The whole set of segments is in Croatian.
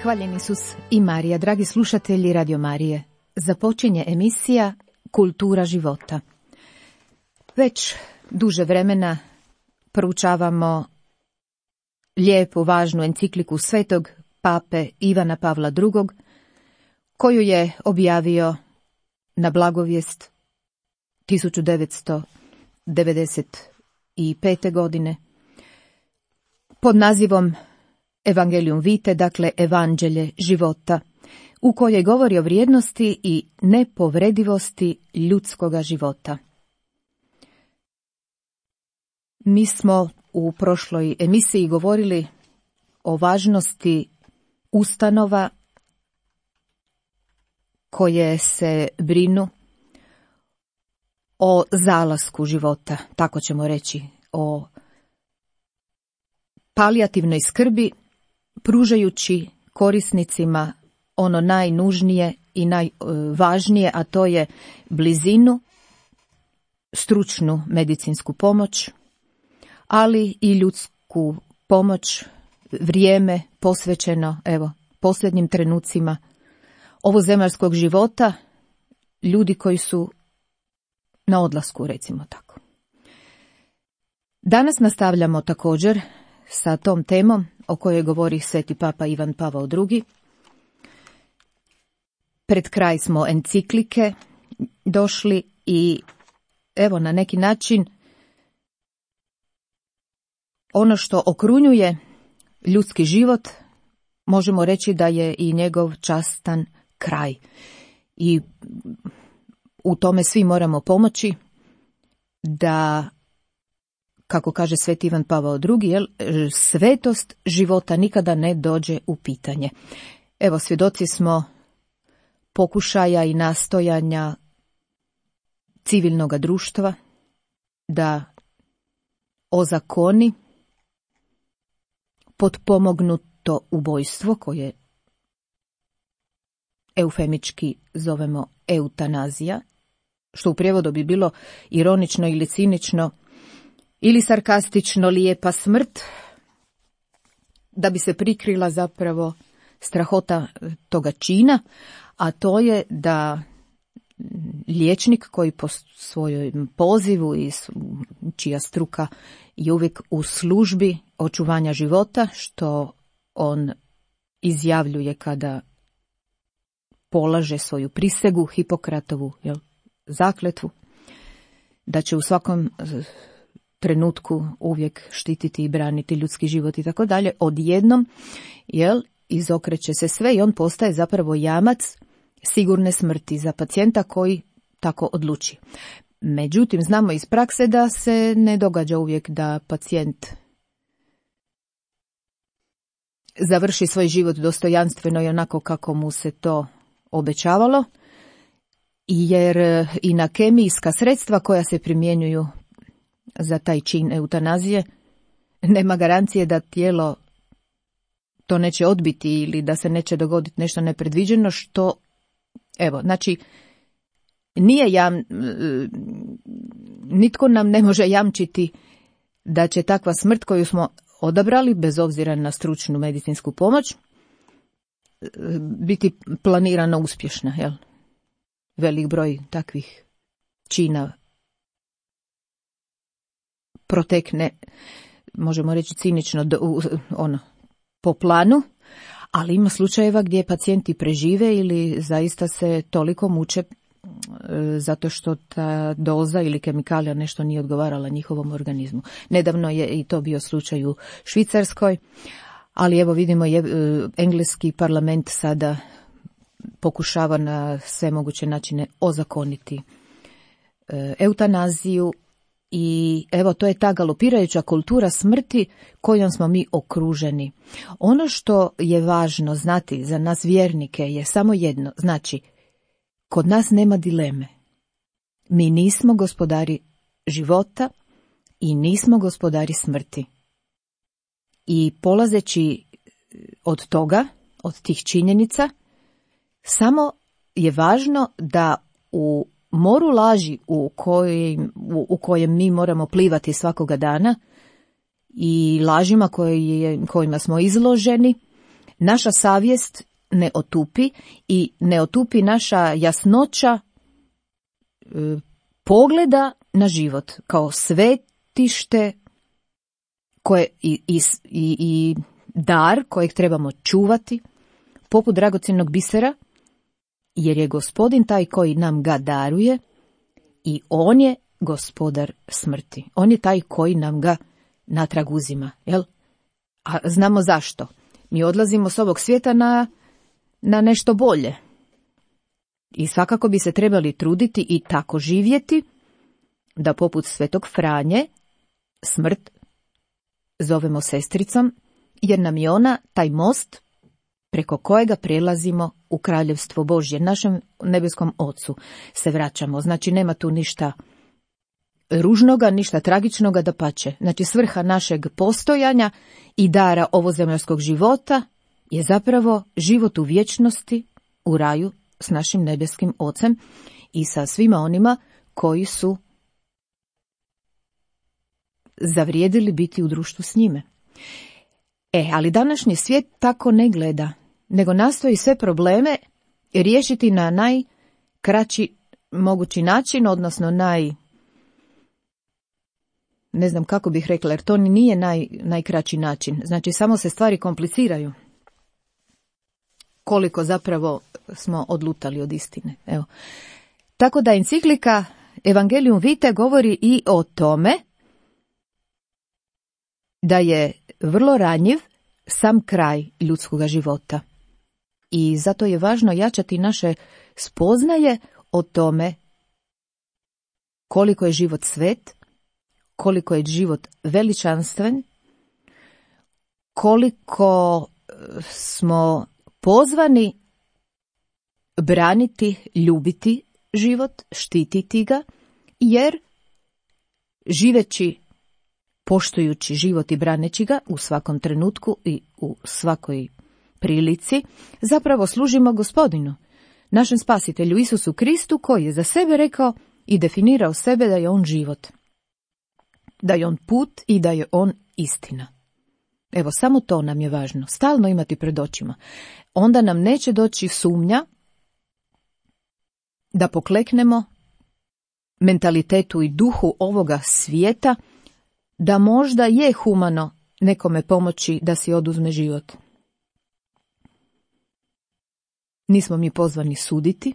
Hvaljen Isus i Marija, dragi slušatelji Radio Marije. Započinje emisija Kultura života. Već duže vremena proučavamo lijepu, važnu encikliku svetog pape Ivana Pavla II, koju je objavio na blagovijest 1995. godine pod nazivom Evangelium Vitae, dakle Evanđelje života, u kojoj govori o vrijednosti i nepovredivosti ljudskoga života. Mi smo u prošloj emisiji govorili o važnosti ustanova koje se brinu o zalasku života, tako ćemo reći, o palijativnoj skrbi, pružajući korisnicima ono najnužnije i najvažnije, a to je blizinu, stručnu medicinsku pomoć, ali i ljudsku pomoć, vrijeme posvećeno, posljednjim trenucima ovozemaljskog života, ljudi koji su na odlasku, recimo tako. Danas nastavljamo također sa tom temom o kojoj govori sveti papa Ivan Pavao II. Pred kraj smo enciklike došli i na neki način ono što okrunjuje ljudski život, možemo reći da je i njegov častan kraj. I u tome svi moramo pomoći da, kako kaže sveti Ivan Pavao II, svetost života nikada ne dođe u pitanje. Svjedoci smo pokušaja i nastojanja civilnog društva da ozakoni potpomognuto ubojstvo, koje eufemički zovemo eutanazija, što u prijevodu bi bilo ironično ili cinično ili sarkastično lijepa smrt, da bi se prikrila zapravo strahota toga čina, a to je da liječnik koji po svojom pozivu i čija struka je uvijek u službi očuvanja života, što on izjavljuje kada polaže svoju prisegu, Hipokratovu zakletvu, da će u svakom trenutku uvijek štititi i braniti ljudski život i tako dalje, odjednom izokreće se sve i on postaje zapravo jamac sigurne smrti za pacijenta koji tako odluči. Međutim, znamo iz prakse da se ne događa uvijek da pacijent završi svoj život dostojanstveno i onako kako mu se to obećavalo, jer i na kemijska sredstva koja se primjenjuju za taj čin eutanazije nema garancije da tijelo to neće odbiti ili da se neće dogoditi nešto nepredviđeno, što nitko nam ne može jamčiti da će takva smrt koju smo odabrali, bez obzira na stručnu medicinsku pomoć, biti planirano uspješna. Velik broj takvih čina protekne, možemo reći cinično, po planu, ali ima slučajeva gdje pacijenti prežive ili zaista se toliko muče zato što ta doza ili kemikalija nešto nije odgovarala njihovom organizmu. Nedavno je i to bio slučaj u Švicarskoj, ali vidimo engleski parlament sada pokušava na sve moguće načine ozakoniti eutanaziju. I to je ta galopirajuća kultura smrti kojom smo mi okruženi. Ono što je važno znati za nas vjernike je samo jedno, znači, kod nas nema dileme. Mi nismo gospodari života i nismo gospodari smrti. I polazeći od toga, od tih činjenica, samo je važno da u moru laži u kojem mi moramo plivati svakoga dana i lažima kojima smo izloženi, naša savjest ne otupi i ne otupi naša jasnoća pogleda na život kao svetište koje i dar kojeg trebamo čuvati poput dragocjenog bisera, jer je Gospodin taj koji nam ga daruje i on je gospodar smrti. On je taj koji nam ga natrag uzima, jel? A znamo zašto. Mi odlazimo s ovog svijeta na nešto bolje. I svakako bi se trebali truditi i tako živjeti da poput Svetog Franje smrt zovemo sestricom, jer nam je ona taj most preko kojega prelazimo u kraljevstvo Božje, našem nebeskom Ocu se vraćamo. Znači nema tu ništa ružnoga, ništa tragičnoga, dapače. Znači svrha našeg postojanja i dara ovozemaljskog života je zapravo život u vječnosti, u raju s našim nebeskim Ocem i sa svima onima koji su zavrijedili biti u društvu s njime. Ali današnji svijet tako ne gleda, nego nastoji sve probleme riješiti na najkraći mogući način, odnosno ne znam kako bih rekla, jer to nije najkraći način. Znači samo se stvari kompliciraju. Koliko zapravo smo odlutali od istine. Evo. Tako da enciklika Evangelium Vitae govori i o tome da je vrlo ranjiv sam kraj ljudskog života. I zato je važno jačati naše spoznaje o tome koliko je život svet, koliko je život veličanstven, koliko smo pozvani braniti, ljubiti život, štititi ga, jer živeći, poštujući život i braneći ga u svakom trenutku i u svakoj prilici, zapravo služimo Gospodinu, našem spasitelju Isusu Kristu, koji je za sebe rekao i definirao sebe da je on život, da je on put i da je on istina. Evo, samo to nam je važno, stalno imati pred očima. Onda nam neće doći sumnja da pokleknemo mentalitetu i duhu ovoga svijeta, da možda je humano nekome pomoći da si oduzme život. Nismo mi pozvani suditi,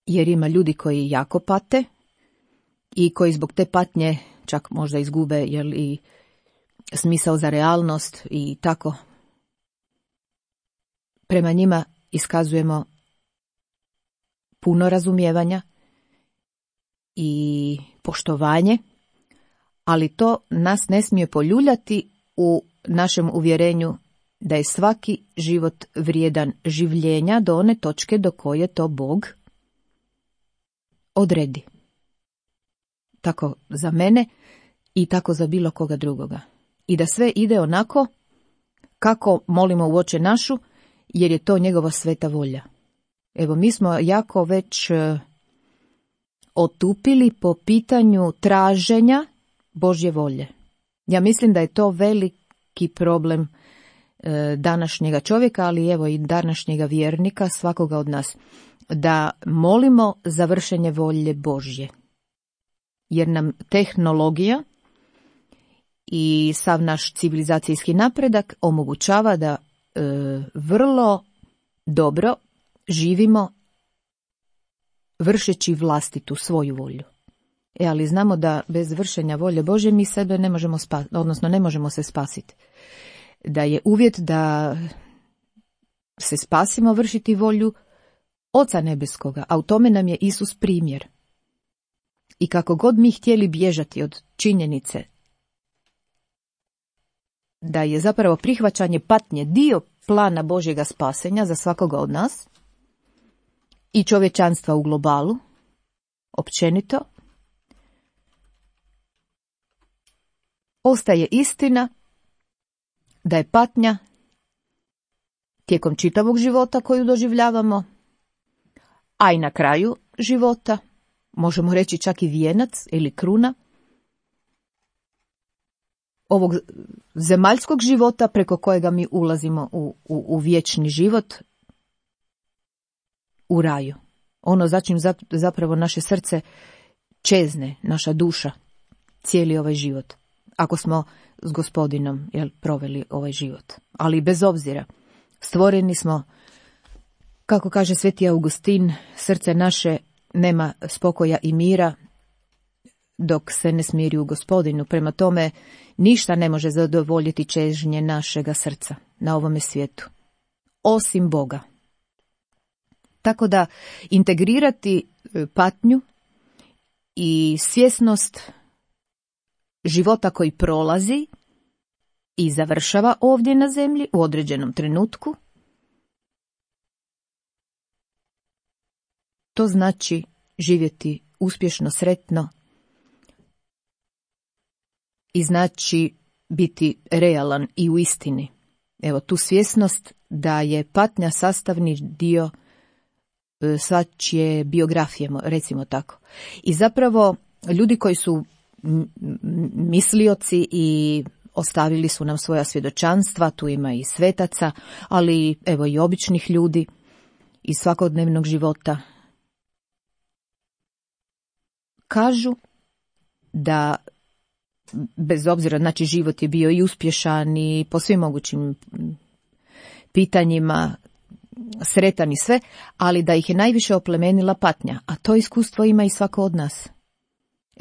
jer ima ljudi koji jako pate i koji zbog te patnje čak možda izgube i smisao za realnost i tako. Prema njima iskazujemo puno razumijevanja i poštovanje, ali to nas ne smije poljuljati u našem uvjerenju da je svaki život vrijedan življenja do one točke do koje to Bog odredi. Tako za mene i tako za bilo koga drugoga. I da sve ide onako kako molimo u Oče našu, jer je to njegova sveta volja. Evo, mi smo jako već otupili po pitanju traženja Božje volje. Ja mislim da je to veliki problem današnjega čovjeka, ali evo i današnjega vjernika, svakoga od nas, da molimo za vršenje volje Božje. Jer nam tehnologija i sav naš civilizacijski napredak omogućava da vrlo dobro živimo vršeći vlastitu svoju volju. Ali znamo da bez vršenja volje Božje mi sebe ne možemo ne možemo se spasiti. Da je uvjet da se spasimo vršiti volju Oca nebeskoga, a u tome nam je Isus primjer. I kako god mi htjeli bježati od činjenice da je zapravo prihvaćanje patnje dio plana Božjega spasenja za svakoga od nas i čovječanstva u globalu, općenito, ostaje istina da je patnja tijekom čitavog života koju doživljavamo, a i na kraju života, možemo reći čak i vijenac ili kruna, ovog zemaljskog života preko kojega mi ulazimo u vječni život, u raju. Ono za čim zapravo naše srce čezne, naša duša, cijeli ovaj život. Ako smo s Gospodinom proveli ovaj život. Ali bez obzira, stvoreni smo, kako kaže sveti Augustin, srce naše nema spokoja i mira dok se ne smiri u Gospodinu. Prema tome, ništa ne može zadovoljiti čežnje našega srca na ovome svijetu, osim Boga. Tako da integrirati patnju i svjesnost života koji prolazi i završava ovdje na zemlji u određenom trenutku, to znači živjeti uspješno, sretno i znači biti realan i u istini. Evo, tu svjesnost da je patnja sastavni dio svačije biografije, recimo tako. I zapravo ljudi koji su mislioci i ostavili su nam svoja svjedočanstva, tu ima i svetaca, ali evo i običnih ljudi iz svakodnevnog života, kažu da bez obzira, znači život je bio i uspješan i po svim mogućim pitanjima sretan i sve, ali da ih je najviše oplemenila patnja, a to iskustvo ima i svako od nas.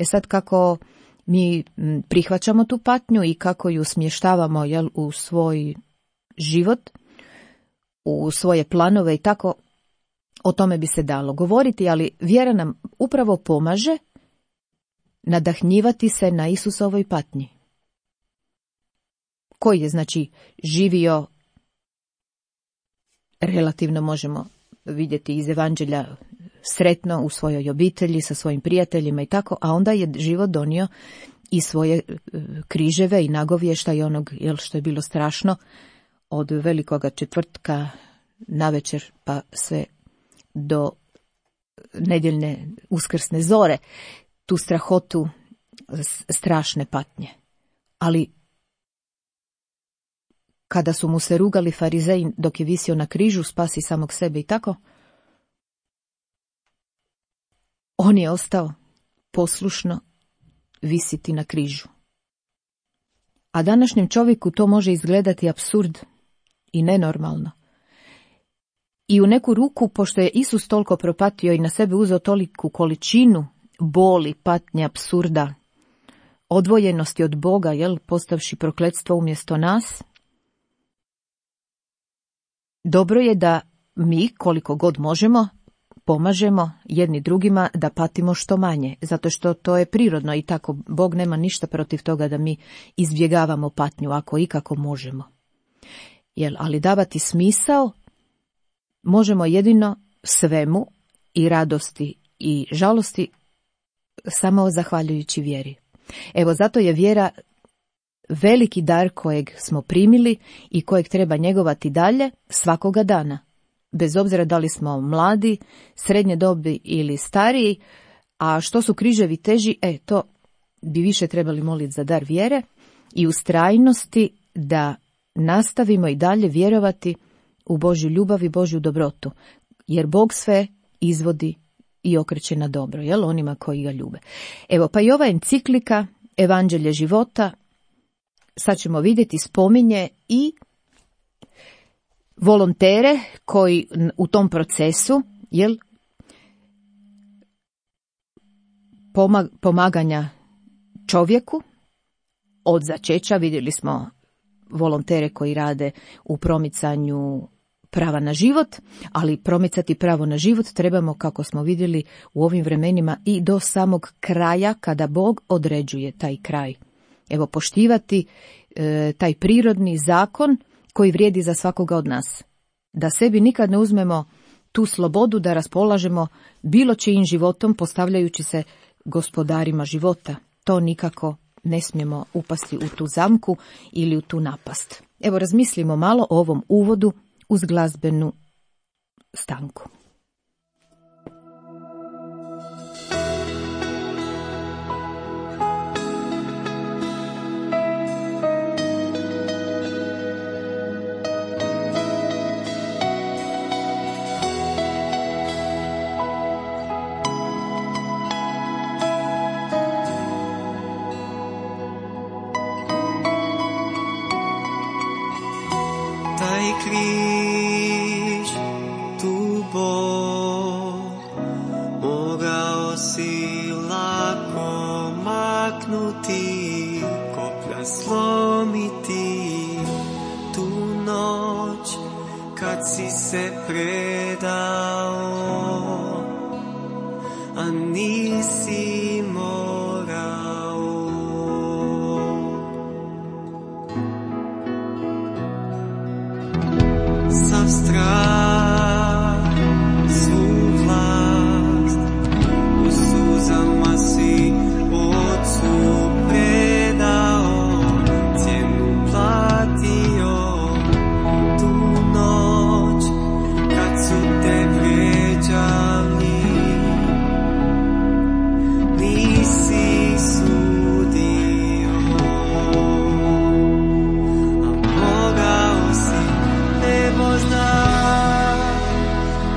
Sad kako mi prihvaćamo tu patnju i kako ju smještavamo u svoj život, u svoje planove i tako, o tome bi se dalo govoriti, ali vjera nam upravo pomaže nadahnjivati se na Isusovoj patnji, koji je znači živio, relativno možemo vidjeti iz Evanđelja, sretno u svojoj obitelji, sa svojim prijateljima i tako, a onda je život donio i svoje križeve i nagovješta i onog što je bilo strašno od velikoga četvrtka navečer pa sve do nedjeljne uskrsne zore, tu strahotu strašne patnje. Ali kada su mu se rugali farizeji dok je visio na križu, spasi samog sebe i tako, on je ostao poslušno visiti na križu. A današnjem čovjeku to može izgledati apsurd i nenormalno. I u neku ruku, pošto je Isus toliko propatio i na sebe uzeo toliku količinu boli, patnje, apsurda, odvojenosti od Boga, postavši prokletstvo umjesto nas, dobro je da mi, koliko god možemo, pomažemo jedni drugima da patimo što manje, zato što to je prirodno i tako Bog nema ništa protiv toga da mi izbjegavamo patnju ako ikako možemo. Ali davati smisao možemo jedino svemu, i radosti i žalosti, samo zahvaljujući vjeri. Evo, zato je vjera veliki dar kojeg smo primili i kojeg treba njegovati dalje svakoga dana. Bez obzira da li smo mladi, srednje dobi ili stariji, a što su križevi teži, to bi više trebali moliti za dar vjere i ustrajnosti da nastavimo i dalje vjerovati u Božju ljubav i Božju dobrotu, jer Bog sve izvodi i okreće na dobro, onima koji ga ljube. Evo, pa i ova enciklika, Evanđelje života, sad ćemo vidjeti, spominje i volontere koji u tom procesu, pomaganja čovjeku od začeća, vidjeli smo volontere koji rade u promicanju prava na život, ali promicati pravo na život trebamo, kako smo vidjeli u ovim vremenima, i do samog kraja kada Bog određuje taj kraj. Evo, poštivati taj prirodni zakon koji vrijedi za svakoga od nas. Da sebi nikad ne uzmemo tu slobodu da raspolažemo bilo čijim životom postavljajući se gospodarima života. To nikako ne smijemo upasti u tu zamku ili u tu napast. Evo, razmislimo malo o ovom uvodu uz glazbenu stanku. križ, tu bol, mogao si lako maknuti, koplja slomiti, tu noć kad si se predao, a nisi morao. Sav strah, svu vlast, u suzama si Otcu predao, cijenu platio, tu noć kad su te vrijeđali, nisi sudio, a mogao si, nebo zna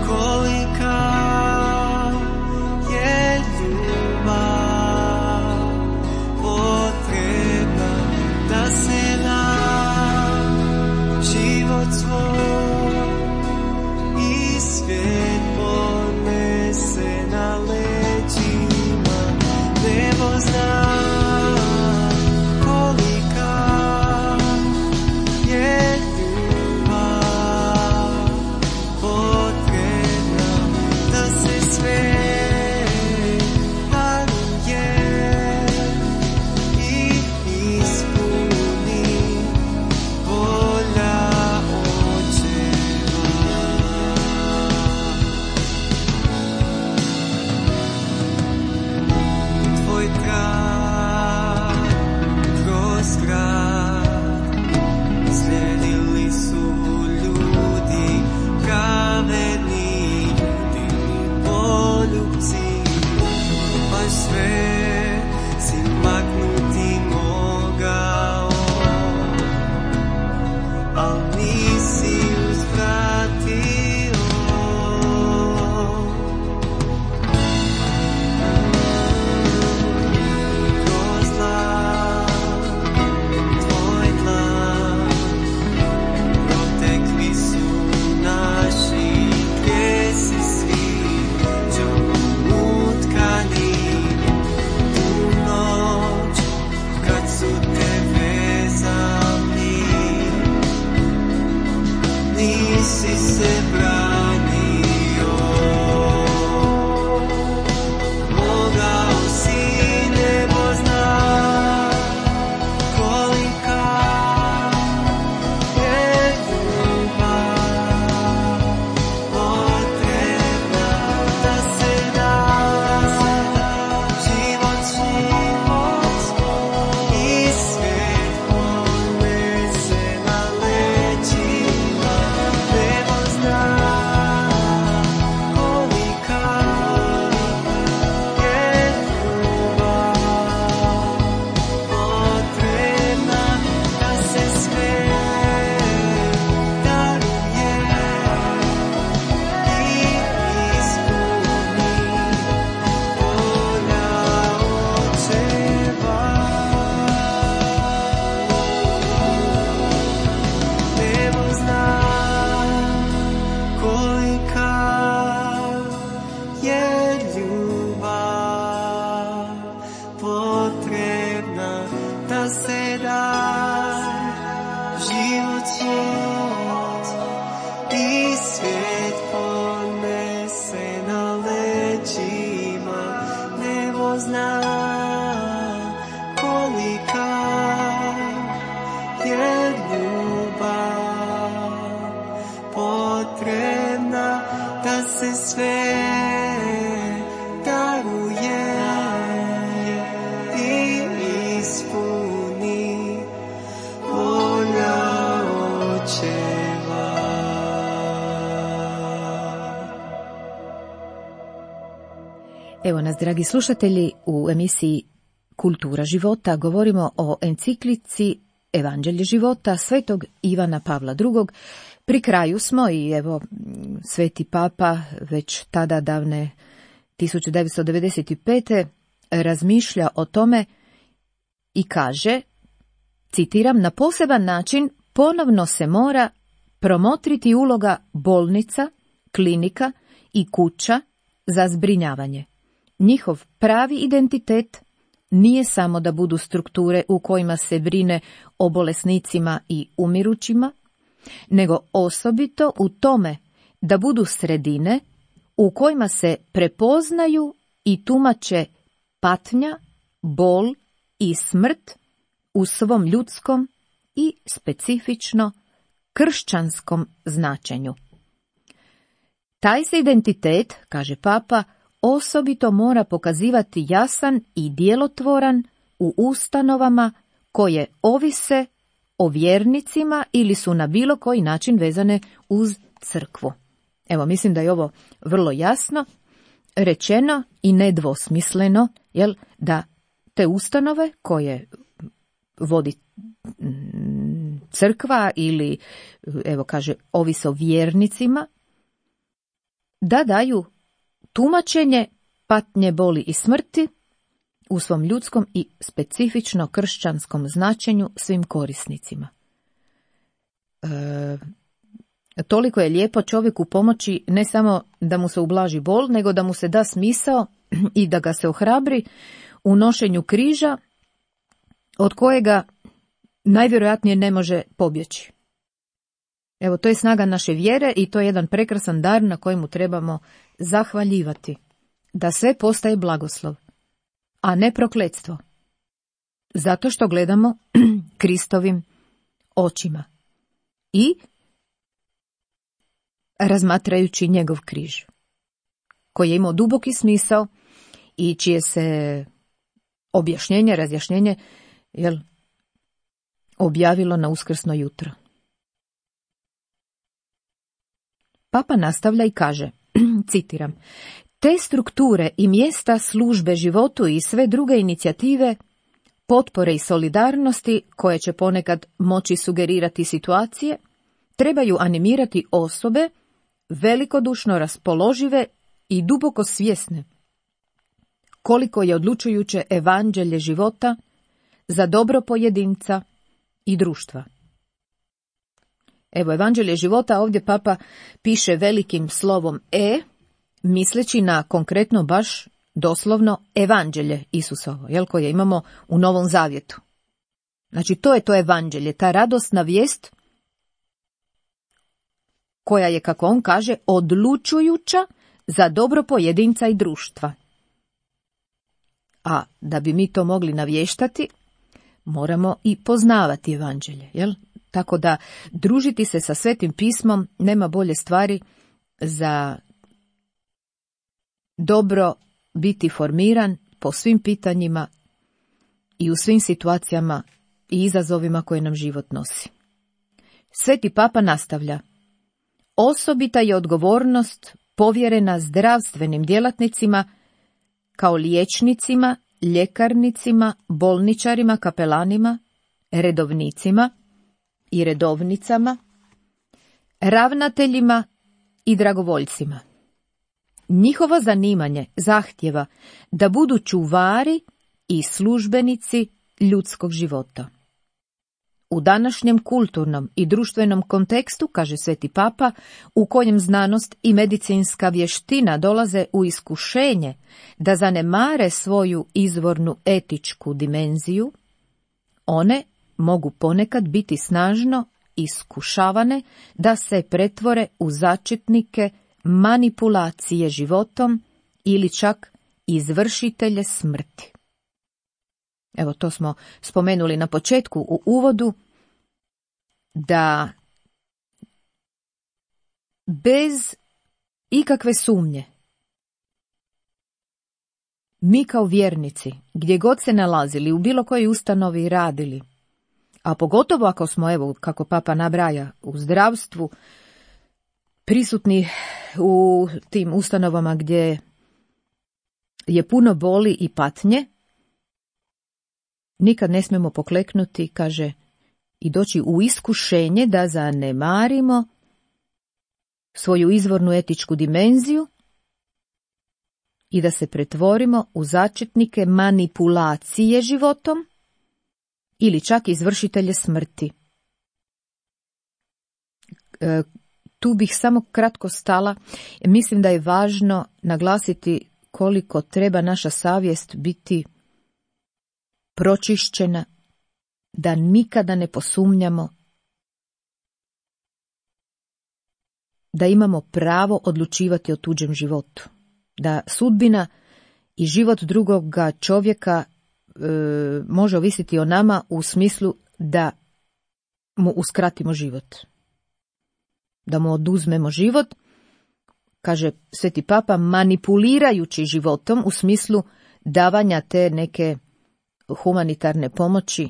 kolika je ljubav potrebna da se da život svoj i svijet ponese na leđima. Nebo zna kolika je ljubav potrebna da se sve daruje i ispuni volja Očeva. Tvoj trag kroz grad slijedili su ljudi pravedni, divni poljubci, baš sve si maknuti mogao, al nisi uzvratio. Kroz zlak, tvoj tlak, protekli su naši grijesi svi, džamom utkani, tu noć kad su te vezali, nisi se branio. Mogao si, nebo zna kolika je ljubav potrebna da se da život svoj i svijet ponese na leđima. Nebo zna kolika je ljubav potrebna da se sve daruje i ispuni volja Očeva. Nebo zna kolika je ljubav potrebna da se da život svoj i svijet ponese na leđima. Nebo zna kolika je ljubav potrebna da se sve daruje i ispuni volja Očeva. Evo nas, dragi slušatelji, u emisiji Kultura života govorimo o enciklici Evanđelje života svetog Ivana Pavla II. Pri kraju smo i evo sveti papa već tada davne 1995. razmišlja o tome i kaže, citiram, na poseban način ponovno se mora promotriti uloga bolnica, klinika i kuća za zbrinjavanje. Njihov pravi identitet nije samo da budu strukture u kojima se brine o bolesnicima i umirućima, nego osobito u tome da budu sredine u kojima se prepoznaju i tumače patnja, bol i smrt u svom ljudskom i specifično kršćanskom značenju. Taj se identitet, kaže Papa, osobito mora pokazivati jasan i djelotvoran u ustanovama koje ovise o vjernicima ili su na bilo koji način vezane uz crkvu. Evo, mislim da je ovo vrlo jasno rečeno i nedvosmisleno, da te ustanove koje vodi crkva ili, evo kaže, ovise o vjernicima, da daju tumačenje patnje, boli i smrti u svom ljudskom i specifično kršćanskom značenju svim korisnicima. Toliko je lijepo čovjeku pomoći ne samo da mu se ublaži bol, nego da mu se da smisao i da ga se ohrabri u nošenju križa od kojega najvjerojatnije ne može pobjeći. Evo, to je snaga naše vjere i to je jedan prekrasan dar na kojemu trebamo zahvaljivati. Da sve postaje blagoslov, a ne prokletstvo. Zato što gledamo Kristovim očima i razmatrajući njegov križ, koji je imao duboki smisao i čije se objašnjenje, razjašnjenje, objavilo na uskrsno jutro. Papa nastavlja i kaže, citiram, te strukture i mjesta službe životu i sve druge inicijative, potpore i solidarnosti koje će ponekad moći sugerirati situacije, trebaju animirati osobe velikodušno raspoložive i duboko svjesne koliko je odlučujuće evanđelje života za dobro pojedinca i društva. Evo, evanđelje života, ovdje Papa piše velikim slovom E, misleći na konkretno baš doslovno evanđelje Isusovo, koje imamo u Novom Zavjetu. Znači, to je to evanđelje, ta radosna vijest koja je, kako on kaže, odlučujuća za dobro pojedinca i društva. A da bi mi to mogli navještati, moramo i poznavati evanđelje, Tako da družiti se sa Svetim pismom nema bolje stvari za dobro biti formiran po svim pitanjima i u svim situacijama i izazovima koje nam život nosi. Sveti Papa nastavlja, osobita je odgovornost povjerena zdravstvenim djelatnicima kao liječnicima, ljekarnicima, bolničarima, kapelanima, redovnicima i redovnicama, ravnateljima i dragovoljcima. Njihovo zanimanje zahtjeva da budu čuvari i službenici ljudskog života. U današnjem kulturnom i društvenom kontekstu, kaže Sveti Papa, u kojem znanost i medicinska vještina dolaze u iskušenje da zanemare svoju izvornu etičku dimenziju, one mogu ponekad biti snažno iskušavane da se pretvore u začetnike manipulacije životom ili čak izvršitelje smrti. Evo, to smo spomenuli na početku u uvodu, da bez ikakve sumnje mi kao vjernici, gdje god se nalazili, u bilo kojoj ustanovi radili, a pogotovo ako smo, evo, kako Papa nabraja, u zdravstvu, prisutni u tim ustanovama gdje je puno boli i patnje, nikad ne smijemo pokleknuti, kaže, i doći u iskušenje da zanemarimo svoju izvornu etičku dimenziju i da se pretvorimo u začetnike manipulacije životom ili čak izvršitelje smrti. Tu bih samo kratko stala. Mislim da je važno naglasiti koliko treba naša savjest biti pročišćena, da nikada ne posumnjamo, da imamo pravo odlučivati o tuđem životu, da sudbina i život drugoga čovjeka može ovisiti o nama u smislu da mu uskratimo život, da mu oduzmemo život, kaže Sveti Papa, manipulirajući životom u smislu davanja te neke humanitarne pomoći,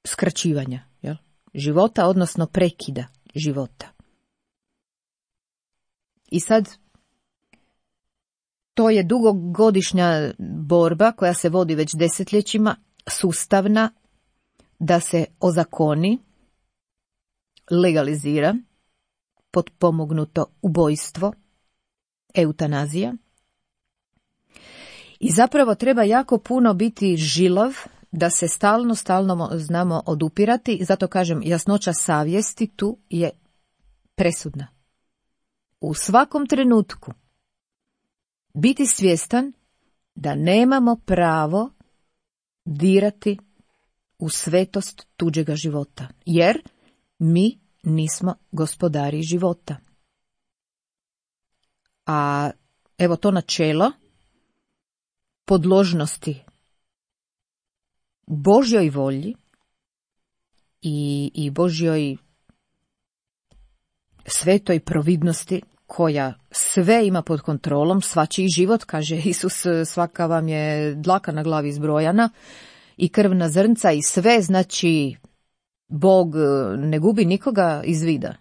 skraćivanja života, odnosno prekida života. I sad, to je dugogodišnja borba koja se vodi već desetljećima, sustavna, da se ozakoni, legalizira potpomognuto ubojstvo, eutanazija. I zapravo treba jako puno biti žilav da se stalno znamo odupirati. Zato kažem, jasnoća savjesti tu je presudna. U svakom trenutku biti svjestan da nemamo pravo dirati u svetost tuđega života, jer mi nismo gospodari života. A evo to načelo podložnosti Božjoj volji i Božjoj svetoj providnosti koja sve ima pod kontrolom, svačiji život, kaže Isus, svaka vam je dlaka na glavi zbrojana i krvna zrnca i sve, znači Bog ne gubi nikoga iz vida.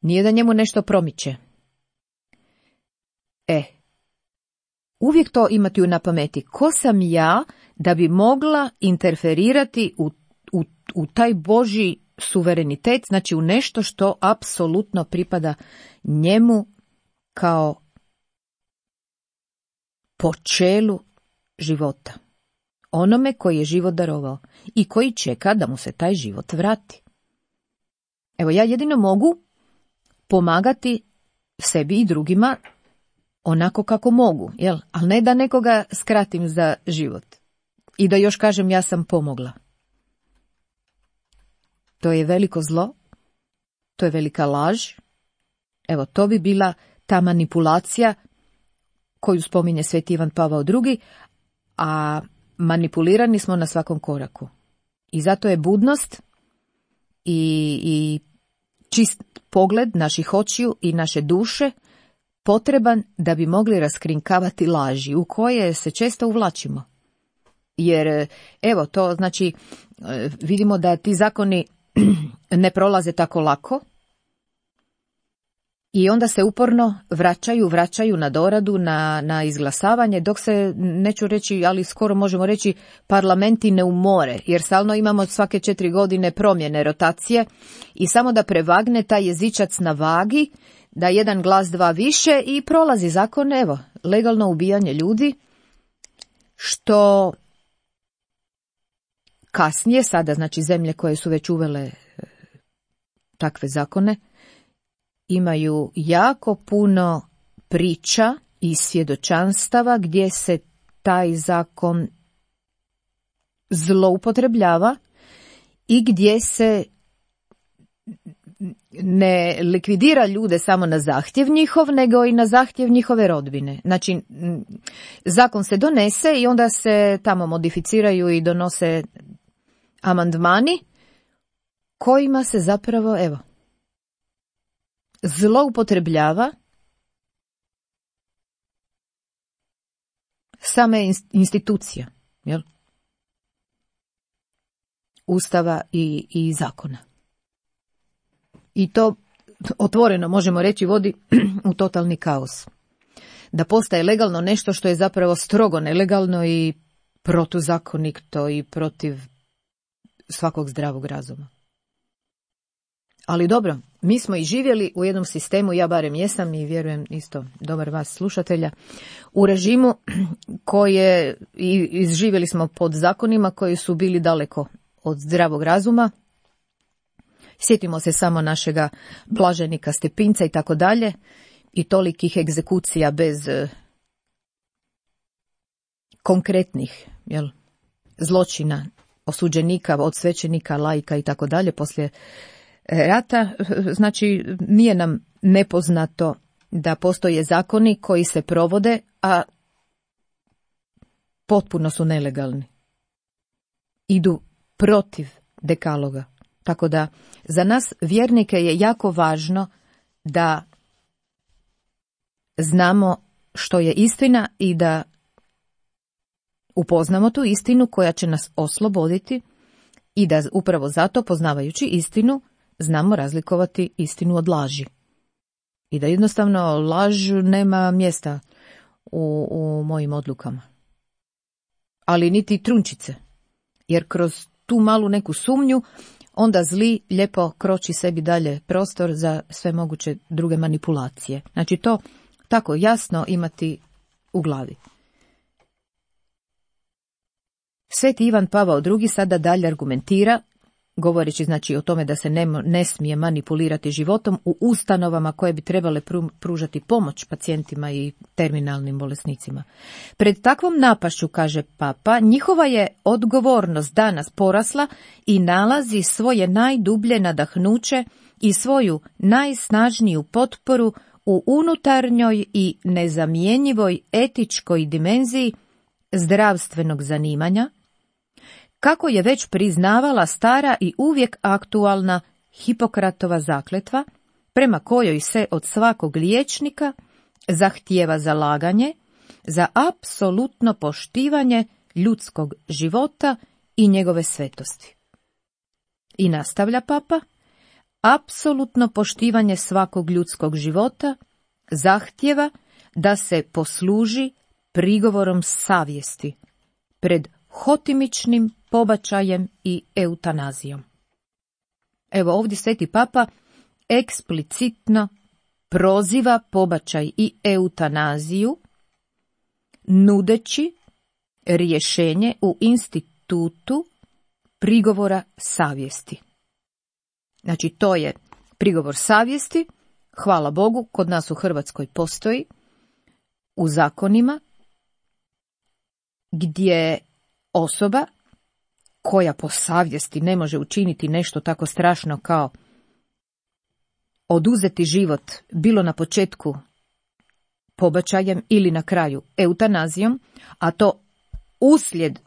Nije da njemu nešto promiče. Uvijek to imati na pameti. Ko sam ja da bi mogla interferirati u taj Božji suverenitet, znači u nešto što apsolutno pripada njemu kao počelu života. Onome koji je život darovao i koji čeka da mu se taj život vrati. Evo, ja jedino mogu pomagati sebi i drugima onako kako mogu, ali ne da nekoga skratim za život i da još kažem ja sam pomogla. To je veliko zlo, to je velika laž. Evo, to bi bila ta manipulacija koju spominje Sveti Ivan Pavao II, a manipulirani smo na svakom koraku. I zato je budnost i čist pogled naših očiju i naše duše potreban da bi mogli raskrinkavati laži u koje se često uvlačimo. Jer, evo, to znači, vidimo da ti zakoni ne prolaze tako lako i onda se uporno vraćaju na doradu, na izglasavanje, dok se, neću reći, ali skoro možemo reći, parlamenti ne umore, jer stalno imamo svake 4 godine promjene, rotacije i samo da prevagne taj jezičac na vagi, da jedan glas, dva više i prolazi zakon, evo, legalno ubijanje ljudi, što kasnije, sada znači zemlje koje su već uvele takve zakone, imaju jako puno priča i svjedočanstava gdje se taj zakon zloupotrebljava i gdje se ne likvidira ljude samo na zahtjev njihov, nego i na zahtjev njihove rodbine. Znači, zakon se donese i onda se tamo modificiraju i donose amandmani kojima se zapravo, evo, zloupotrebljava same institucija, jel? Ustava i zakona. I to otvoreno, možemo reći, vodi u totalni kaos. Da postaje legalno nešto što je zapravo strogo nelegalno i protuzakonito i protiv svakog zdravog razuma. Ali dobro, mi smo i živjeli u jednom sistemu, ja barem jesam i vjerujem isto dobar vas slušatelja, u režimu koje izživjeli smo pod zakonima koji su bili daleko od zdravog razuma. Sjetimo se samo našega blaženika Stepinca i tako dalje, i tolikih egzekucija bez konkretnih zločina osuđenika, od svećenika, laika i tako dalje poslije rata. Znači, nije nam nepoznato da postoje zakoni koji se provode, a potpuno su nelegalni. Idu protiv dekaloga. Tako da za nas vjernike je jako važno da znamo što je istina i da upoznamo tu istinu koja će nas osloboditi i da upravo zato, poznavajući istinu, znamo razlikovati istinu od laži. I da jednostavno laž nema mjesta u mojim odlukama. Ali niti trunčice. Jer kroz tu malu neku sumnju onda zli lijepo kroči sebi dalje prostor za sve moguće druge manipulacije. Znači to tako jasno imati u glavi. Sveti Ivan Pavao II sada dalje argumentira, govoreći znači o tome da se ne smije manipulirati životom u ustanovama koje bi trebale pružati pomoć pacijentima i terminalnim bolesnicima. Pred takvom napašću, kaže Papa, njihova je odgovornost danas porasla i nalazi svoje najdublje nadahnuće i svoju najsnažniju potporu u unutarnjoj i nezamjenjivoj etičkoj dimenziji zdravstvenog zanimanja, kako je već priznavala stara i uvijek aktualna Hipokratova zakletva, prema kojoj se od svakog liječnika zahtijeva zalaganje za apsolutno poštivanje ljudskog života i njegove svetosti. I nastavlja Papa, apsolutno poštivanje svakog ljudskog života zahtijeva da se posluži prigovorom savjesti pred hotimičnim pobačajem i eutanazijom. Evo ovdje Sveti Papa eksplicitno proziva pobačaj i eutanaziju, nudeći rješenje u institutu prigovora savjesti. Znači to je prigovor savjesti, hvala Bogu, kod nas u Hrvatskoj postoji, u zakonima, gdje osoba koja po savjesti ne može učiniti nešto tako strašno kao oduzeti život, bilo na početku pobačajem ili na kraju eutanazijom, a to uslijed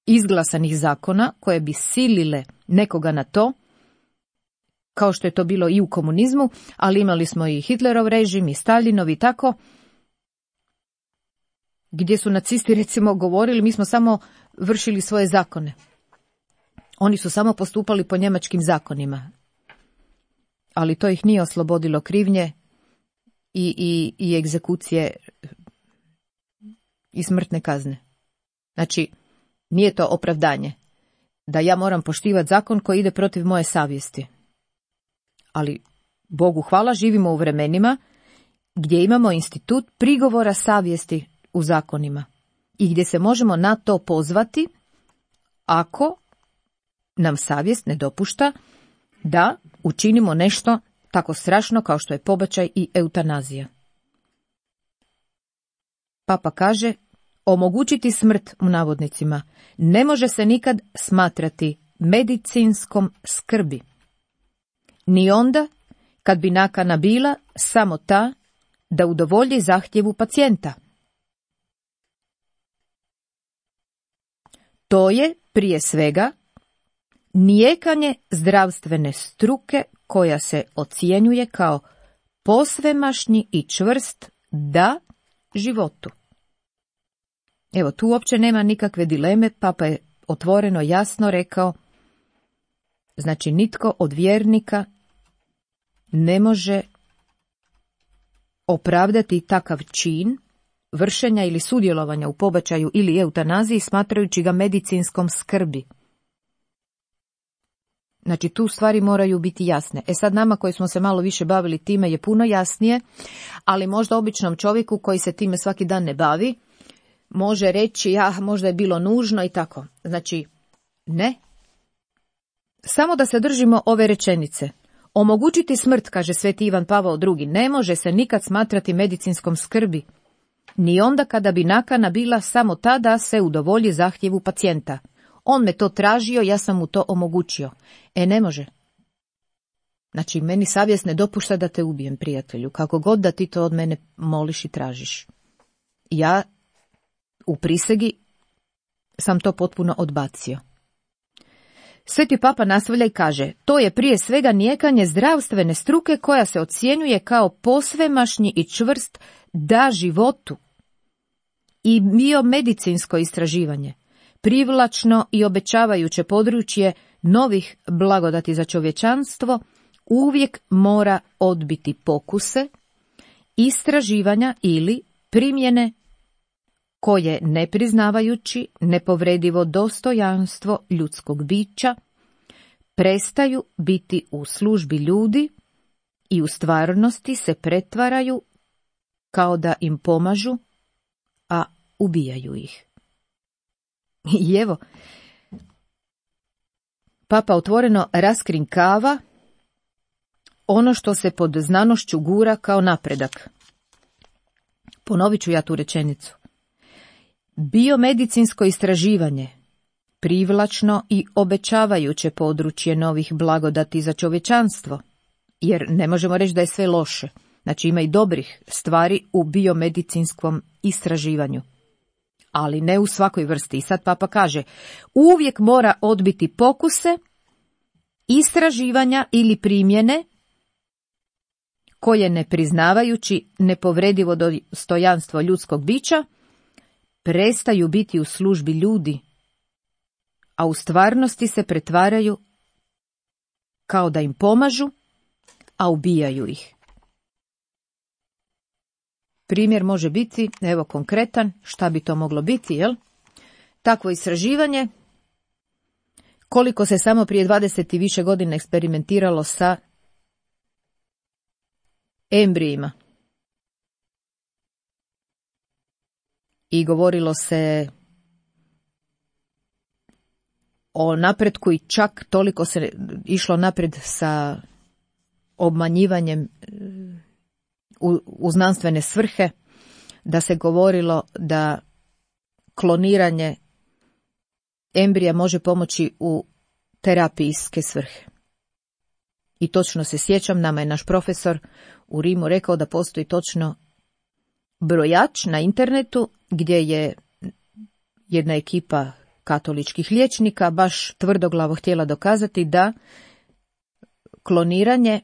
izglasanih zakona koje bi silile nekoga na to, kao što je to bilo i u komunizmu, ali imali smo i Hitlerov režim i Staljinov i tako, gdje su nacisti recimo govorili mi smo samo vršili svoje zakone. Oni su samo postupali po njemačkim zakonima. Ali to ih nije oslobodilo krivnje i egzekucije i smrtne kazne. Znači, nije to opravdanje da ja moram poštivati zakon koji ide protiv moje savjesti. Ali, Bogu hvala, živimo u vremenima gdje imamo institut prigovora savjesti u zakonima i gdje se možemo na to pozvati ako nam savjest ne dopušta da učinimo nešto tako strašno kao što je pobačaj i eutanazija. Papa kaže, omogućiti smrt u navodnicima ne može se nikad smatrati medicinskom skrbi. Ni onda kad bi nakana bila samo ta da udovolji zahtjevu pacijenta. To je, prije svega, nijekanje zdravstvene struke koja se ocjenjuje kao posvemašnji i čvrst da životu. Evo, tu uopće nema nikakve dileme, Papa je otvoreno jasno rekao, znači nitko od vjernika ne može opravdati takav čin vršenja ili sudjelovanja u pobačaju ili eutanaziji smatrajući ga medicinskom skrbi. Znači tu stvari moraju biti jasne. Sad nama koji smo se malo više bavili time je puno jasnije, ali možda običnom čovjeku koji se time svaki dan ne bavi, može reći, možda je bilo nužno i tako. Znači, ne. Samo da se držimo ove rečenice. Omogućiti smrt, kaže sveti Ivan Pavao II, ne može se nikad smatrati medicinskom skrbi, ni onda kada bi nakana bila samo ta da se udovolji zahtjevu pacijenta. On me to tražio, ja sam mu to omogućio. Ne može. Znači, meni savjest ne dopušta da te ubijem, prijatelju, kako god da ti to od mene moliš i tražiš. Ja u prisegi sam to potpuno odbacio. Sveti Papa nastavlja i kaže, to je prije svega nijekanje zdravstvene struke koja se ocjenjuje kao posvemašnji i čvrst da životu. I biomedicinsko istraživanje, privlačno i obećavajuće područje novih blagodati za čovječanstvo, uvijek mora odbiti pokuse, istraživanja ili primjene koje, ne priznavajući nepovredivo dostojanstvo ljudskog bića, prestaju biti u službi ljudi i u stvarnosti se pretvaraju kao da im pomažu, a ubijaju ih. I evo, Papa otvoreno raskrinkava ono što se pod znanošću gura kao napredak. Ponovit ću ja tu rečenicu. Biomedicinsko istraživanje, privlačno i obećavajuće područje novih blagodati za čovječanstvo, jer ne možemo reći da je sve loše. Znači, ima i dobrih stvari u biomedicinskom istraživanju, ali ne u svakoj vrsti. I sad Papa kaže, uvijek mora odbiti pokuse, istraživanja ili primjene koje, ne priznavajući nepovredivo dostojanstvo ljudskog bića, prestaju biti u službi ljudi, a u stvarnosti se pretvaraju kao da im pomažu, a ubijaju ih. Primjer može biti, evo konkretan, šta bi to moglo biti, jel? Takvo istraživanje, koliko se samo prije 20 i više godina eksperimentiralo sa embrijima. I govorilo se o napretku i čak toliko se išlo naprijed sa obmanjivanjem u znanstvene svrhe, da se govorilo da kloniranje embrija može pomoći u terapijske svrhe. I točno se sjećam, nama je naš profesor u Rimu rekao da postoji točno brojač na internetu gdje je jedna ekipa katoličkih liječnika baš tvrdoglavo htjela dokazati da kloniranje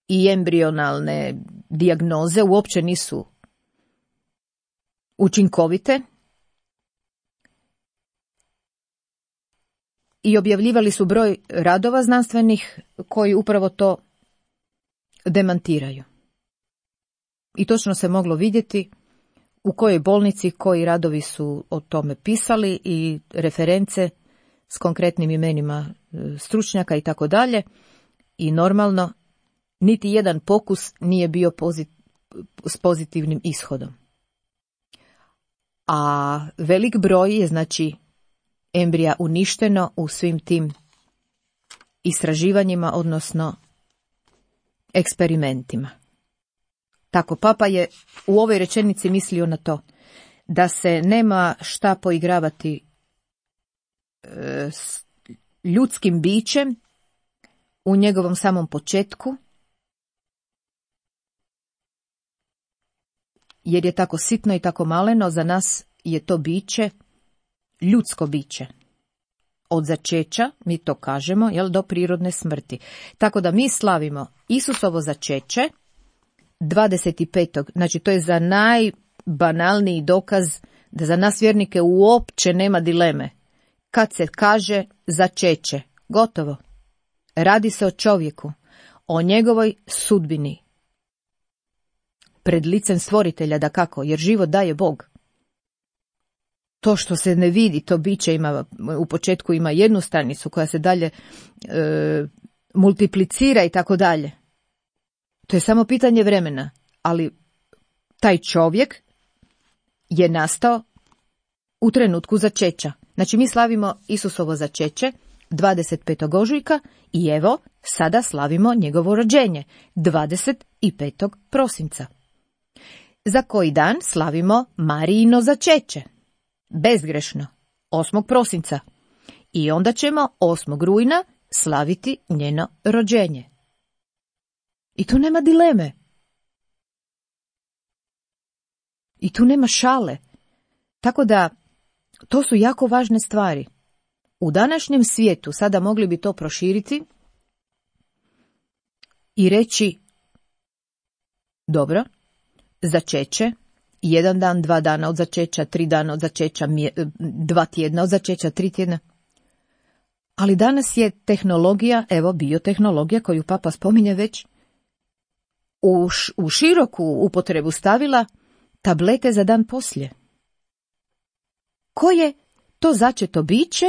i embrionalne dijagnoze uopće nisu učinkovite, i objavljivali su broj radova znanstvenih koji upravo to demantiraju. I točno se moglo vidjeti u kojoj bolnici koji radovi su o tome pisali i reference s konkretnim imenima stručnjaka i tako dalje. I normalno, niti jedan pokus nije bio s pozitivnim ishodom. A velik broj je, znači, embrija uništeno u svim tim istraživanjima, odnosno eksperimentima. Tako, Papa je u ovoj rečenici mislio na to da se nema šta poigravati s ljudskim bićem u njegovom samom početku, jer je tako sitno i tako maleno, za nas je to biće ljudsko biće. Od začeća, mi to kažemo, do prirodne smrti. Tako da mi slavimo Isusovo začeće 25. Znači, to je za najbanalniji dokaz da za nas vjernike uopće nema dileme. Kad se kaže začeće, gotovo. Radi se o čovjeku, o njegovoj sudbini. Pred licem stvoritelja, dakako, jer život daje Bog. To što se ne vidi, to biće ima, u početku ima jednu stanicu koja se dalje multiplicira i tako dalje. To je samo pitanje vremena, ali taj čovjek je nastao u trenutku začeća. Znači mi slavimo Isusovo začeće 25. ožujka i evo sada slavimo njegovo rođenje 25. prosinca. Za koji dan slavimo Marijino začeće, bezgrešno, 8. prosinca. I onda ćemo 8. rujna slaviti njeno rođenje. I tu nema dileme. I tu nema šale. Tako da, to su jako važne stvari. U današnjem svijetu sada mogli bi to proširiti i reći, dobro, začeće, 1 dan, 2 dana od začeća, 3 dana od začeća, 2 tjedna od začeća, 3 tjedna. Ali danas je tehnologija, evo biotehnologija koju Papa spominje već, u široku upotrebu stavila tablete za dan poslije. Koje to začeto biće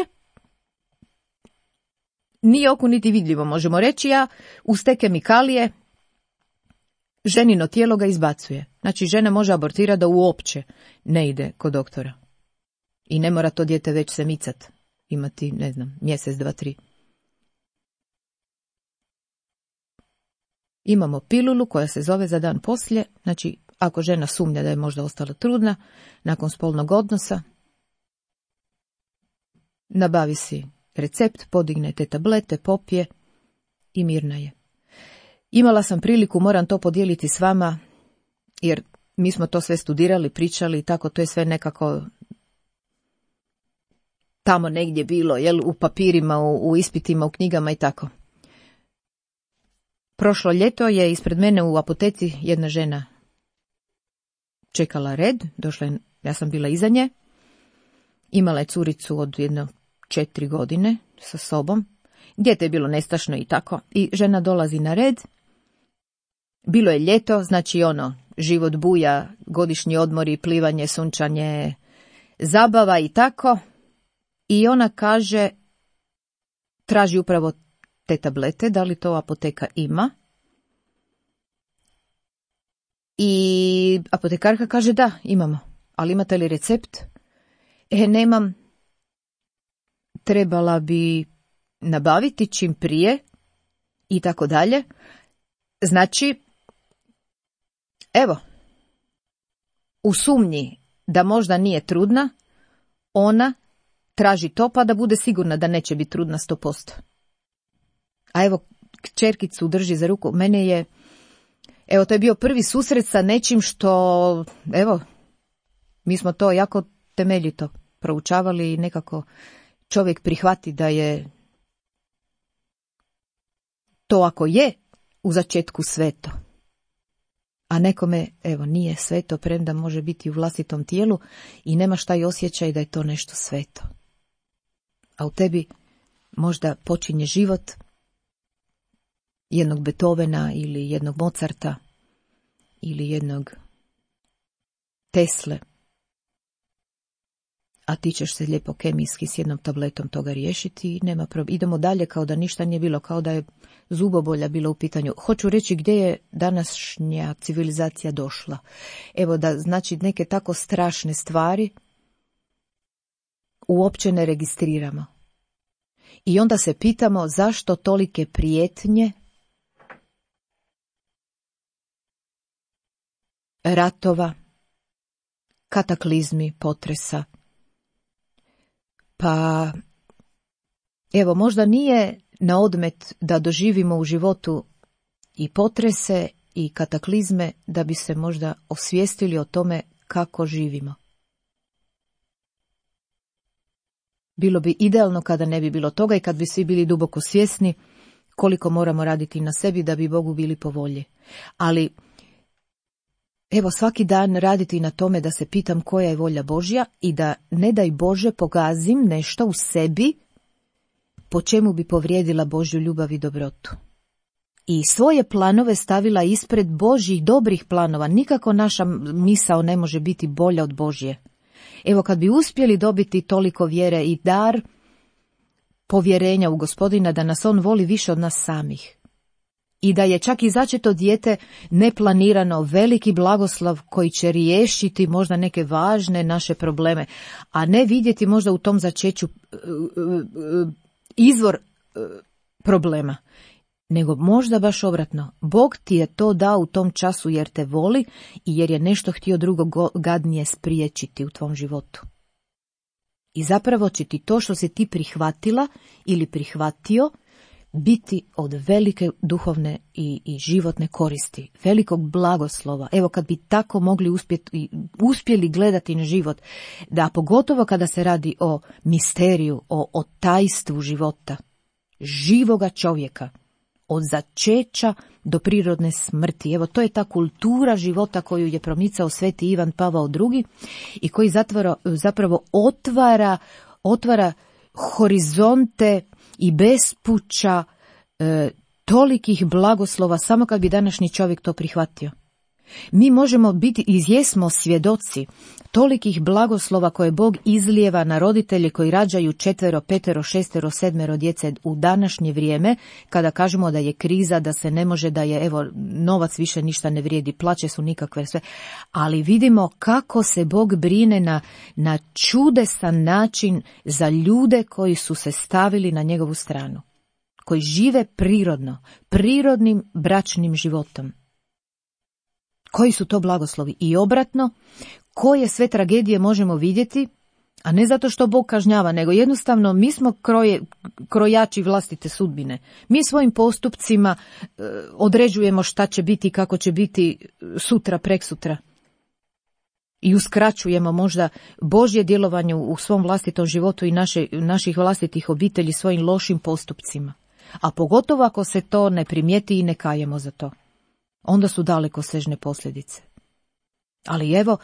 nije oku niti vidljivo, možemo reći, a uz te kemikalije ženino tijelo ga izbacuje. Znači žena može abortirati da uopće ne ide kod doktora. I ne mora to dijete već se micat, imati, ne znam, mjesec, 2, 3. Imamo pilulu koja se zove za dan poslije, znači ako žena sumnja da je možda ostala trudna, nakon spolnog odnosa, nabavi si recept, podigne te tablete, popije i mirna je. Imala sam priliku, moram to podijeliti s vama, jer mi smo to sve studirali, pričali i tako, to je sve nekako tamo negdje bilo, jel, u papirima, u ispitima, u knjigama i tako. Prošlo ljeto je ispred mene u apoteci jedna žena čekala red, došla je, ja sam bila iza nje, imala je curicu od 4 godine sa sobom, dijete je bilo nestašno i tako, i žena dolazi na red, bilo je ljeto, znači život buja, godišnji odmori, plivanje, sunčanje, zabava i tako, i ona kaže, traži upravo te tablete, da li to apoteka ima? I apotekarka kaže da, imamo, ali imate li recept? Nemam, trebala bi nabaviti čim prije i tako dalje. Znači, evo, u sumnji da možda nije trudna, ona traži to pa da bude sigurna da neće biti trudna 100%. A evo, kćerkicu drži za ruku. Mene je, evo, to je bio prvi susret sa nečim što, evo, mi smo to jako temeljito proučavali i nekako čovjek prihvati da je to, ako je u začetku sveto, a nekome, evo, nije sveto, premda može biti u vlastitom tijelu i nemaš taj osjećaj da je to nešto sveto. A u tebi možda počinje život jednog Beethovena ili jednog Mozarta ili jednog Tesle, a ti ćeš se lijepo kemijski s jednom tabletom toga riješiti i nema problem. Idemo dalje kao da ništa nije bilo, kao da je zubobolja bila u pitanju. Hoću reći gdje je današnja civilizacija došla. Evo da, znači, neke tako strašne stvari uopće ne registriramo. I onda se pitamo zašto tolike prijetnje, ratova, kataklizmi, potresa. Pa, evo, možda nije na odmet da doživimo u životu i potrese i kataklizme da bi se možda osvijestili o tome kako živimo. Bilo bi idealno kada ne bi bilo toga i kad bi svi bili duboko svjesni koliko moramo raditi na sebi da bi Bogu bili po volji. Ali, evo, svaki dan raditi na tome da se pitam koja je volja Božja i da, ne daj Bože, pogazim nešto u sebi po čemu bi povrijedila Božju ljubav i dobrotu. I svoje planove stavila ispred Božjih dobrih planova. Nikako naša misao ne može biti bolja od Božje. Evo, kad bi uspjeli dobiti toliko vjere i dar povjerenja u Gospodina da nas on voli više od nas samih. i da je čak i začeto dijete neplanirano veliki blagoslov koji će riješiti možda neke važne naše probleme, a ne vidjeti možda u tom začeću izvor problema, nego možda baš obratno. Bog ti je to dao u tom času jer te voli i jer je nešto htio drugo gadnije spriječiti u tvom životu. I zapravo će ti to što si ti prihvatila ili prihvatio biti od velike duhovne i životne koristi, velikog blagoslova. Evo kad bi tako mogli uspjeli gledati na život, da pogotovo kada se radi o misteriju, o tajstvu života, živoga čovjeka, od začeća do prirodne smrti. Evo, to je ta kultura života koju je promicao sveti Ivan Pavao II i koji zapravo otvara horizonte i bespuća tolikih blagoslova samo kad bi današnji čovjek to prihvatio. Mi možemo biti i jesmo svjedoci tolikih blagoslova koje Bog izlijeva na roditelje koji rađaju 4, 5, 6, 7 djece u današnje vrijeme, kada kažemo da je kriza, da se ne može, da je evo novac više ništa ne vrijedi, plaće su nikakve sve, ali vidimo kako se Bog brine na čudesan način za ljude koji su se stavili na njegovu stranu, koji žive prirodnim bračnim životom. Koji su to blagoslovi? I obratno, koje sve tragedije možemo vidjeti, a ne zato što Bog kažnjava, nego jednostavno mi smo krojači vlastite sudbine. Mi svojim postupcima određujemo šta će biti i kako će biti sutra, preksutra. I uskraćujemo možda Božje djelovanje u svom vlastitom životu i naših vlastitih obitelji svojim lošim postupcima. A pogotovo ako se to ne primijeti i ne kajemo za to. Onda su dalekosežne posljedice. Ali evo,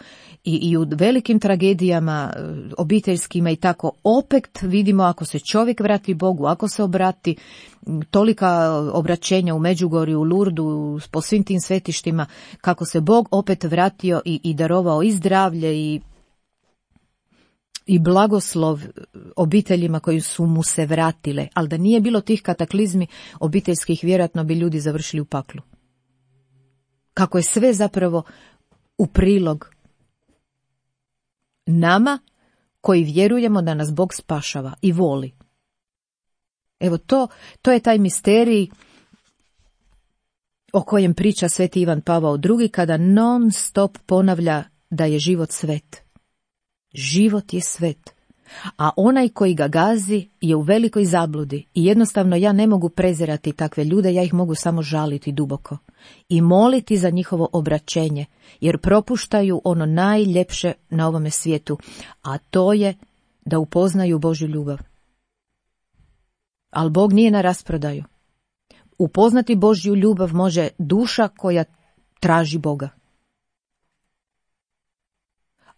i u velikim tragedijama obiteljskima i tako, opet vidimo ako se čovjek vrati Bogu, ako se obrati, tolika obraćenja u Međugorju, u Lurdu, po svim tim svetištima, kako se Bog opet vratio i darovao i zdravlje i blagoslov obiteljima koji su mu se vratile. Ali da nije bilo tih kataklizmi obiteljskih, vjerojatno bi ljudi završili u paklu. Kako je sve zapravo u prilog nama koji vjerujemo da nas Bog spašava i voli. Evo to je taj misterij o kojem priča sveti Ivan Pavao II kada non stop ponavlja da je život svet. Život je svet. A onaj koji ga gazi je u velikoj zabludi i jednostavno ja ne mogu prezirati takve ljude, ja ih mogu samo žaliti duboko i moliti za njihovo obraćenje, jer propuštaju ono najljepše na ovome svijetu, a to je da upoznaju Božju ljubav. Ali Bog nije na rasprodaju. Upoznati Božju ljubav može duša koja traži Boga.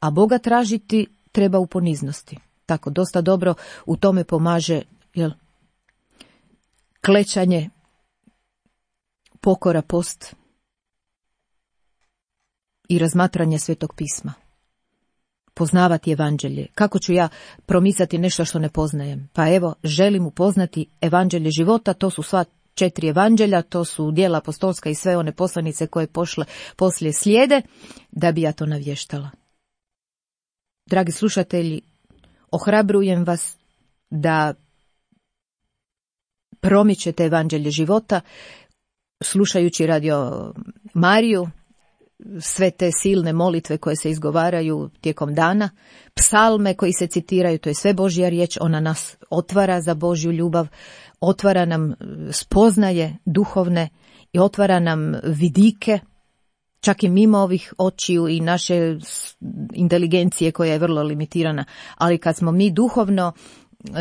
A Boga tražiti treba u poniznosti. Tako, dosta dobro u tome pomaže klečanje, pokora, post i razmatranje Svetog pisma. Poznavati evanđelje. Kako ću ja promicati nešto što ne poznajem? Pa evo, želim upoznati evanđelje života, to su sva 4 evanđelja, to su djela apostolska i sve one poslanice koje poslije slijede, da bi ja to navještala. Dragi slušatelji, ohrabrujem vas da promičete evanđelje života, slušajući Radio Mariju, sve te silne molitve koje se izgovaraju tijekom dana, psalme koji se citiraju, to je sve Božja riječ, ona nas otvara za Božju ljubav, otvara nam spoznaje duhovne i otvara nam vidike, čak i mimo ovih očiju i naše inteligencije koja je vrlo limitirana, ali kad smo mi duhovno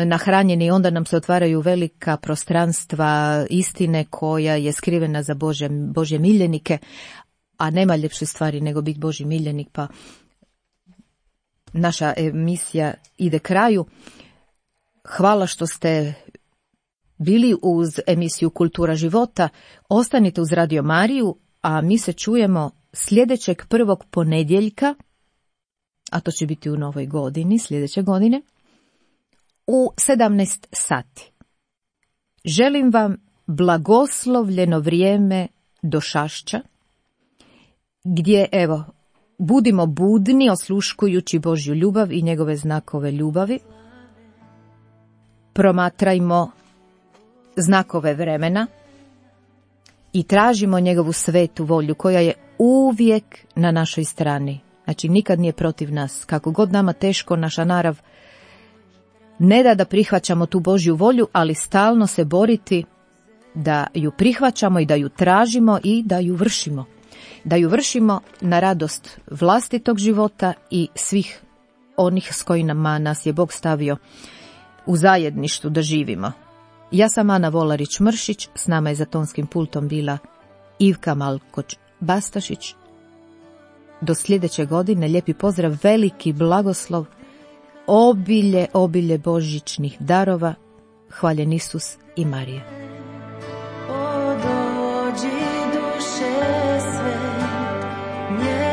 nahranjeni, onda nam se otvaraju velika prostranstva istine koja je skrivena za Božje miljenike, a nema ljepše stvari nego biti Božji miljenik, pa naša emisija ide kraju. Hvala što ste bili uz emisiju Kultura života, ostanite uz Radio Mariju, a mi se čujemo sljedećeg 1. ponedjeljka, a to će biti u novoj godini, sljedeće godine, u 17 sati. Želim vam blagoslovljeno vrijeme došašća, gdje, evo, budimo budni osluškujući Božju ljubav i njegove znakove ljubavi. Promatrajmo znakove vremena i tražimo njegovu svetu volju koja je uvijek na našoj strani. Znači, nikad nije protiv nas. Kako god nama teško, naša narav ne da prihvaćamo tu Božju volju, ali stalno se boriti da ju prihvaćamo i da ju tražimo i da ju vršimo. Da ju vršimo na radost vlastitog života i svih onih s kojima nas je Bog stavio u zajedništvu da živimo. Ja sam Ana Volarić-Mršić, s nama je za tonskim pultom bila Ivka Malkoč-Bastašić. Do sljedeće godine, lijepi pozdrav, veliki blagoslov, obilje božićnih darova, hvaljen Isus i Marija. O dođi duše sve,